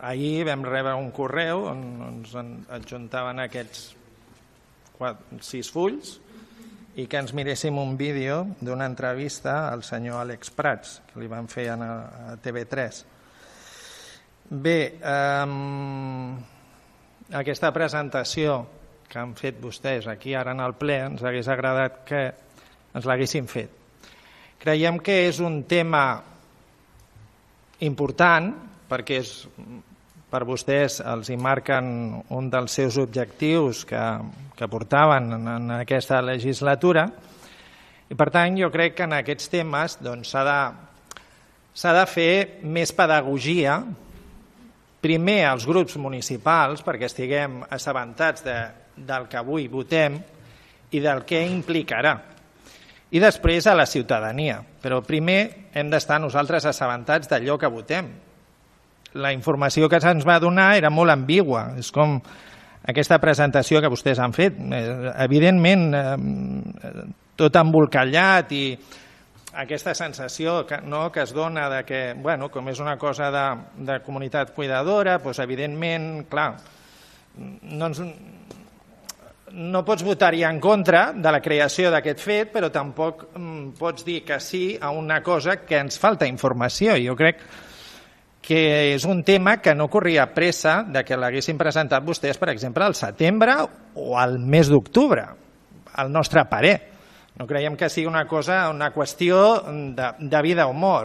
ahir vam rebre un correu on ens adjuntaven aquests 6 fulls i que ens miréssim un vídeo d'una entrevista al senyor Àlex Prats, que li van fer a TV3. Bé, aquesta presentació que han fet vostès aquí ara en el ple ens hagués agradat que ens l'haguessin fet. Creiem que és un tema important perquè per vostès els hi marquen un dels seus objectius que portaven en aquesta legislatura i per tant jo crec que en aquests temes s'ha de fer més pedagogia primer als grups municipals perquè estiguem assabentats del que avui votem i del que implicarà i després a la ciutadania, però primer hem d'estar nosaltres assabentats d'allò que votem. La informació que se'ns va donar era molt ambigua, és com aquesta presentació que vostès han fet, evidentment tot embolcallat i aquesta sensació que es dona de que, com és una cosa de comunitat cuidadora, doncs evidentment, clar, no pots votar-hi en contra de la creació d'aquest fet, però tampoc pots dir que sí a una cosa que ens falta informació. Jo crec que és un tema que no corria pressa de que l'haguessin presentat vostès, per exemple, al setembre o al mes d'octubre, al nostre parer. No creiem que sigui una qüestió de vida o mort.